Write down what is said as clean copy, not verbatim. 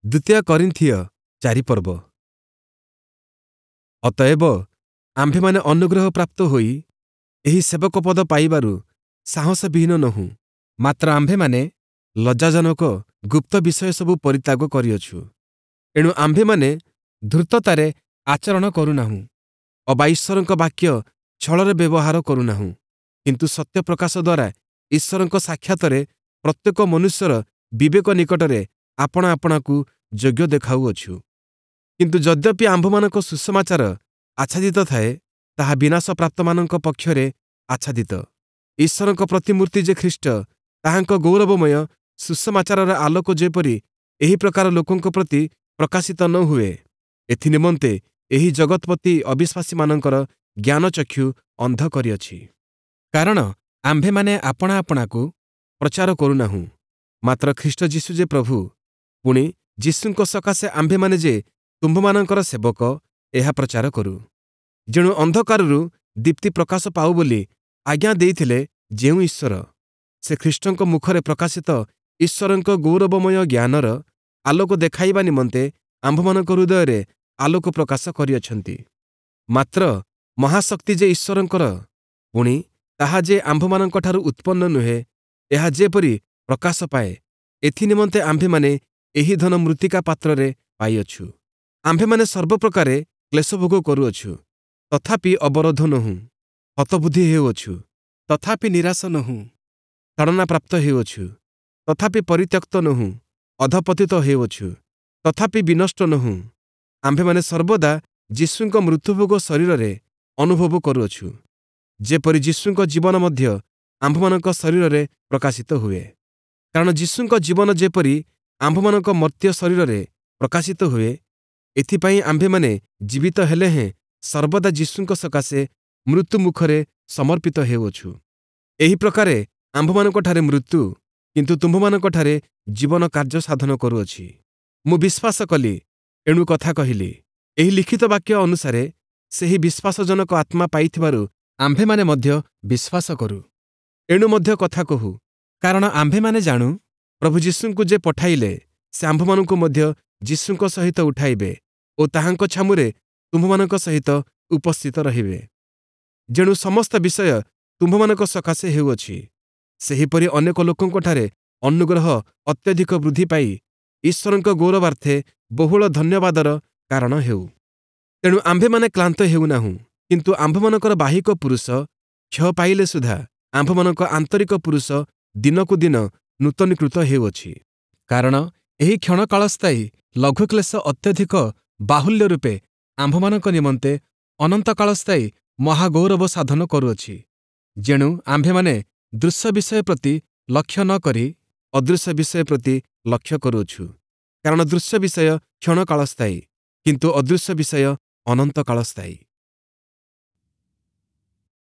ଦ୍ୱିତୀୟ କରିନ୍ଥୀୟ 4 ପର୍ବ। ଅତଏବ ଆମ୍ଭେମାନେ ଅନୁଗ୍ରହ ପ୍ରାପ୍ତ ହୋଇ ଏହି ସେବକ ପଦ ପାଇବାରୁ ସାହସବିହୀନ ନୋହୁଁ। ମାତ୍ର ଆମ୍ଭେମାନେ ଲଜ୍ଜାଜନକ ଗୁପ୍ତ ବିଷୟସବୁ ପରିତ୍ୟାଗ କରିଅଛୁ। ଏଣୁ ଆମ୍ଭେମାନେ ଧୂର୍ତ୍ତତାରେ ଆଚରଣ କରୁନାହୁଁ ଅବା ଈଶ୍ୱରଙ୍କ ବାକ୍ୟ ଛଳରେ ବ୍ୟବହାର କରୁନାହୁଁ, କିନ୍ତୁ ସତ୍ୟ ପ୍ରକାଶ ଦ୍ୱାରା ଈଶ୍ୱରଙ୍କ ସାକ୍ଷାତରେ ପ୍ରତ୍ୟେକ ମନୁଷ୍ୟର ବିବେକ ନିକଟରେ ଆପଣା ଆପଣାକୁ ଯୋଗ୍ୟ ଦେଖାଉଅଛୁ। କିନ୍ତୁ ଯଦ୍ୟପି ଆମ୍ଭମାନଙ୍କ ସୁସମାଚାର ଆଚ୍ଛାଦିତ ଥାଏ, ତାହା ବିନାଶପ୍ରାପ୍ତମାନଙ୍କ ପକ୍ଷରେ ଆଚ୍ଛାଦିତ। ଈଶ୍ୱରଙ୍କ ପ୍ରତିମୂର୍ତ୍ତି ଯେ ଖ୍ରୀଷ୍ଟ, ତାହାଙ୍କ ଗୌରବମୟ ସୁସମାଚାରର ଆଲୋକ ଯେପରି ଏହି ପ୍ରକାର ଲୋକଙ୍କ ପ୍ରତି ପ୍ରକାଶିତ ନ ହୁଏ, ଏଥିନିମନ୍ତେ ଏହି ଜଗତ୍ପତି ଅବିଶ୍ୱାସୀମାନଙ୍କର ଜ୍ଞାନଚକ୍ଷୁ ଅନ୍ଧ କରିଅଛି। କାରଣ ଆମ୍ଭେମାନେ ଆପଣା ଆପଣାକୁ ପ୍ରଚାର କରୁନାହୁଁ, ମାତ୍ର ଖ୍ରୀଷ୍ଟ ଯୀଶୁ ଯେ ପ୍ରଭୁ, ପୁଣି ଯୀଶୁଙ୍କ ସକାଶେ ଆମ୍ଭେମାନେ ଯେ ତୁମ୍ଭମାନଙ୍କର ସେବକ, ଏହା ପ୍ରଚାର କରୁ। ଯେଣୁ ଅନ୍ଧକାରରୁ ଦୀପ୍ତି ପ୍ରକାଶ ପାଉ ବୋଲି ଆଜ୍ଞା ଦେଇଥିଲେ ଯେଉଁ ଈଶ୍ୱର, ସେ ଖ୍ରୀଷ୍ଟଙ୍କ ମୁଖରେ ପ୍ରକାଶିତ ଈଶ୍ୱରଙ୍କ ଗୌରବମୟ ଜ୍ଞାନର ଆଲୋକ ଦେଖାଇବା ନିମନ୍ତେ ଆମ୍ଭମାନଙ୍କ ହୃଦୟରେ ଆଲୋକ ପ୍ରକାଶ କରିଅଛନ୍ତି। ମାତ୍ର ମହାଶକ୍ତି ଯେ ଈଶ୍ୱରଙ୍କର, ପୁଣି ତାହା ଯେ ଆମ୍ଭମାନଙ୍କଠାରୁ ଉତ୍ପନ୍ନ ନୁହେଁ, ଏହା ଯେପରି ପ୍ରକାଶ ପାଏ, ଏଥିନିମନ୍ତେ ଆମ୍ଭେମାନେ ଏହି ଧନ ମୃତ୍ତିକା ପାତ୍ରରେ ପାଇଅଛୁ। ଆମ୍ଭେମାନେ ସର୍ବପ୍ରକାରେ କ୍ଲେଶଭୋଗ କରୁଅଛୁ, ତଥାପି ଅବରୋଧ ନୋହୁଁ; ହତବୁଦ୍ଧି ହେଉଅଛୁ, ତଥାପି ନିରାଶ ନୋହୁଁ; ତାଡ଼ନାପ୍ରାପ୍ତ ହେଉଅଛୁ, ତଥାପି ପରିତ୍ୟକ୍ତ ନୋହୁଁ; ଅଧଃପତିତ ହେଉଅଛୁ, ତଥାପି ବିନଷ୍ଟ ନୋହୁଁ। ଆମ୍ଭେମାନେ ସର୍ବଦା ଯୀଶୁଙ୍କ ମୃତ୍ୟୁଭୋଗ ଶରୀରରେ ଅନୁଭବ କରୁଅଛୁ, ଯେପରି ଯୀଶୁଙ୍କ ଜୀବନ ମଧ୍ୟ ଆମ୍ଭମାନଙ୍କ ଶରୀରରେ ପ୍ରକାଶିତ ହୁଏ। କାରଣ ଯୀଶୁଙ୍କ ଜୀବନ ଯେପରି ଆମ୍ଭମାନଙ୍କ ମର୍ତ୍ତ୍ୟ ଶରୀରରେ ପ୍ରକାଶିତ ହୁଏ, ଏଥିପାଇଁ ଆମ୍ଭେମାନେ ଜୀବିତ ହେଲେ ହେଁ ସର୍ବଦା ଯୀଶୁଙ୍କ ସକାଶେ ମୃତ୍ୟୁ ମୁଖରେ ସମର୍ପିତ ହେଉଅଛୁ। ଏହି ପ୍ରକାରେ ଆମ୍ଭମାନଙ୍କଠାରେ ମୃତ୍ୟୁ, କିନ୍ତୁ ତୁମ୍ଭମାନଙ୍କଠାରେ ଜୀବନ କାର୍ଯ୍ୟ ସାଧନ କରୁଅଛି। ମୁଁ ବିଶ୍ୱାସ କଲି, ଏଣୁ କଥା କହିଲି। ଏହି ଲିଖିତ ବାକ୍ୟ ଅନୁସାରେ ସେହି ବିଶ୍ୱାସଜନକ ଆତ୍ମା ପାଇଥିବାରୁ ଆମ୍ଭେମାନେ ମଧ୍ୟ ବିଶ୍ୱାସ କରୁ, ଏଣୁ ମଧ୍ୟ କଥା କହୁ। କାରଣ ଆମ୍ଭେମାନେ ଜାଣୁ, ପ୍ରଭୁ ଯୀଶୁଙ୍କୁ ଯେ ପଠାଇଲେ, ସେ ଆମ୍ଭମାନଙ୍କୁ ମଧ୍ୟ ଯୀଶୁଙ୍କ ସହିତ ଉଠାଇବେ ଓ ତାହାଙ୍କ ଛାମୁରେ ତୁମ୍ଭମାନଙ୍କ ସହିତ ଉପସ୍ଥିତ ରହିବେ। ଯେଣୁ ସମସ୍ତ ବିଷୟ ତୁମ୍ଭମାନଙ୍କ ସକାଶେ ହେଉଅଛି, ସେହିପରି ଅନେକ ଲୋକଙ୍କଠାରେ ଅନୁଗ୍ରହ ଅତ୍ୟଧିକ ବୃଦ୍ଧି ପାଇ ଈଶ୍ୱରଙ୍କ ଗୌରବାର୍ଥେ ବହୁଳ ଧନ୍ୟବାଦର କାରଣ ହେଉ। ତେଣୁ ଆମ୍ଭେମାନେ କ୍ଳାନ୍ତ ହେଉନାହୁଁ, କିନ୍ତୁ ଆମ୍ଭମାନଙ୍କର ବାହ୍ୟିକ ପୁରୁଷ କ୍ଷୟ ପାଇଲେ ସୁଦ୍ଧା ଆମ୍ଭମାନଙ୍କ ଆନ୍ତରିକ ପୁରୁଷ ଦିନକୁ ଦିନ ନୂତନୀକୃତ ହେଉଅଛି। କାରଣ ଏହି କ୍ଷଣକାଳସ୍ଥାୟୀ ଲଘୁକ୍ଲେଶ ଅତ୍ୟଧିକ ବାହୁଲ୍ୟ ରୂପେ ଆମ୍ଭମାନଙ୍କ ନିମନ୍ତେ ଅନନ୍ତକାଳସ୍ଥାୟୀ ମହାଗୌରବ ସାଧନ କରୁଅଛି। ଯେଣୁ ଆମ୍ଭେମାନେ ଦୃଶ୍ୟ ବିଷୟ ପ୍ରତି ଲକ୍ଷ୍ୟ ନ କରି ଅଦୃଶ୍ୟ ବିଷୟ ପ୍ରତି ଲକ୍ଷ୍ୟ କରୁଅଛୁ। କାରଣ ଦୃଶ୍ୟ ବିଷୟ କ୍ଷଣକାଳସ୍ଥାୟୀ, କିନ୍ତୁ ଅଦୃଶ୍ୟ ବିଷୟ ଅନନ୍ତକାଳସ୍ଥାୟୀ।